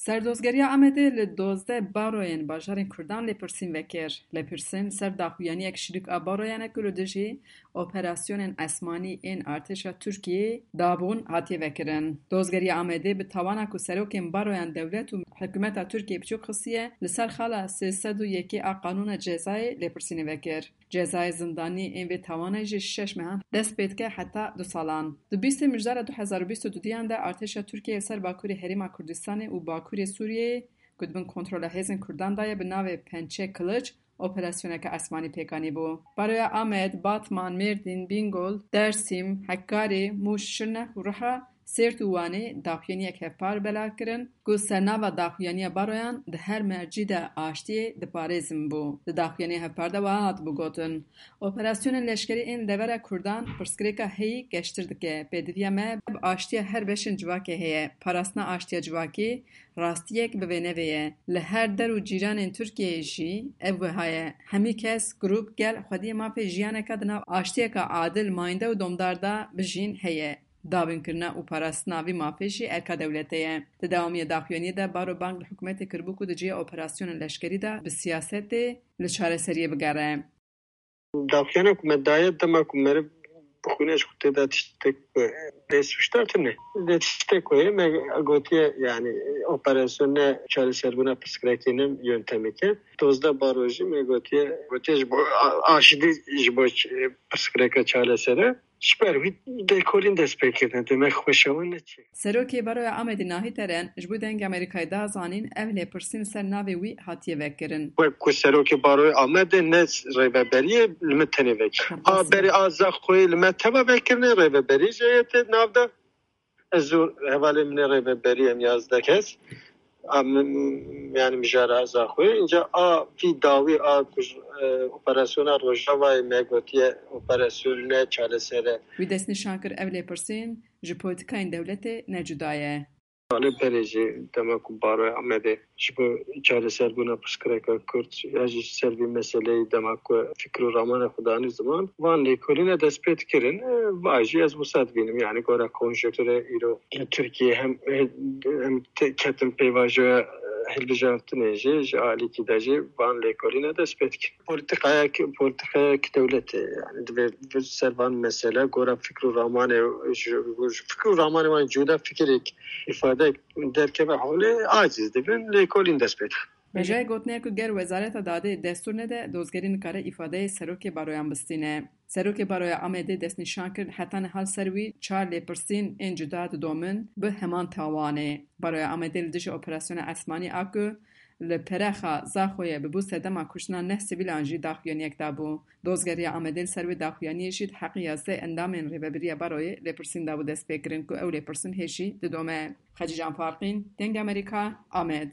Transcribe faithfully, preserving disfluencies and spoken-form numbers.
Serdozgeriya Amedê li dozdeh baroyên bajarên Kurdan lêpirsîn vekir. Lêpirsîn ser daxuyaniyek şirîk a baroyan e ku li dijî operasyonên esmanî ên artêşa Tirkiyeyê dabûn hatiye vekirin. Dozgeriya Amedê bi tawana ku serokên baroyan dewlet û hikûmeta Tirkiyeyê biçûk xistiye, li ser xala sê sed û yekê a Qanûna Cezayê lêpirsînê vekir. Cezayê zindanî ên vê tawanê ji şeş mehan dest pê dike heta du salan. Di bîstê Mijdara du hezar û bîst û duduyan de artêşa Tirkiyeyê li ser bakurê Herêma Kurdistanê û bakurê Sûriyeyê ku di bin kontrola hêzên Kurdan de ye bi navê Pençe Kılıç operasyoneke esmanî pêk anîbû. Baroya Amed, Batman, Mêrdîn, Bîngol, Dersîm, Hekkarê, Mûş, Şirnex û Riha, Sêrt û Wanê daxuyaniyek hevpar belav kirin ku sernava daxuyaniya baroyan di her mercî de aştiyê diparêzin bû. Di daxuyaniyê hevpar de wiha hatibû gotin, Operasyonên leşkerî ên li devera Kurdan pirsgirêka heyî geştir dike. Pêdiviya me bi aştiya her beşên civakê heye. Parastina aştiya civakî rastiyek bi vê nevê ye. Li her der û cîranên Tirkiyeyê jî ev wiha ye. Hemî kes, grûp, gel xwediyê mafê jiyaneke di nav aştiyeke adil, mayînde û domdar de bijîn heye. Dabînkirina û parastina vî mafê jî erka dewletê ye. Di dewamiya daxuyaniyê de Baro bang li hikûmetê kiribû ku di cihê operasyonên leşkerî de bi siyasetê li çareseriyê bigere. Daxuyana ku me daye dema ku meriv bi xwîna ji xwe tê de tiştek ku bê sûcdar tune. Lê tiştek ku heye me gotiye, yani operasyon ne çareserbûna pirsgirêkê, ne yöntemeke. Dozdeh baro jî me gotiye, gotiye ji bo a-, aşidî ji bo ç-, pirsgirêka çaresere. Ji ber wî lêkolîn dest pê kirine, demek xweşewan neçe. Serokê Baroya Amedê Nahî Teren ji bo Dengê Amerîkayê da zanîn, ev lêpirsîn li ser navê wî hatiye vekirin. Wek ku Serokê Baroya Amedê ne rêveberiyê li min tenê vekir. A berê a Zaxoyê li me teva vekirine, rêveberî jê yê tê nav de. Ez û hevalê min ê rêveberî em yazdeh kes. A min, yani mijara Zaxoyê. Înca a vî dawî a ku ji, e, operasyona Rojavayê me gotiye operasyon ne çaresere. Wî destnîşan kir ev lêpirsîn ji polîtikayên dewletê ne cuda ye. Salê berê jî dema ku Baroya Amedê ji bo çareserbûna pirsgirêka Kurd ya jî ji ser vî meseleyê dema ku fikr û ramana xwe danî ziman, van lêkolîne dest pê dikirin. E, va jî ez wisa dibînim, yani gora konjektûrê îro li Tirkiyeyê hem, hem te-, ketin pêvajoya hilbijartinê jî ji alîkî de jî van lêkolîne dest pê dikirin. Polîtîkayek, polîtîkayek dewletê, yani divê ser van mesele gora fikr û ramanê, ji, ji fikr û ramanê wan cuda fikirek îfade derkeve holê, aciz dibin, lêkolîn dest pê dixin. Hêjayê gotinê ye ku ger Wezareta Dadê destûr nede, dozgerî nikare îfadeyê serokê baroyan bistîne. Serokê Baroya Amedê destnîşan kir, heta niha li ser wî çar lêpirsîn ên cuda didomin bi heman tawanê. Baroya Amedê li dijî operasyona esmanî a ku li Perexa Zaxoyê bibû sedema kuştina neh sivîlan jî daxuyaniyek dabû. Dozgeriya Amedê li ser wê daxuyaniyê jî di heqê yazdeh endamên Rêveberiya Baroyê lêpirsîn dabû destpêkirin ku ew lêpirsîn hê jî didome. Xecîcan Farqîn, Dengê Amerîka, Amed.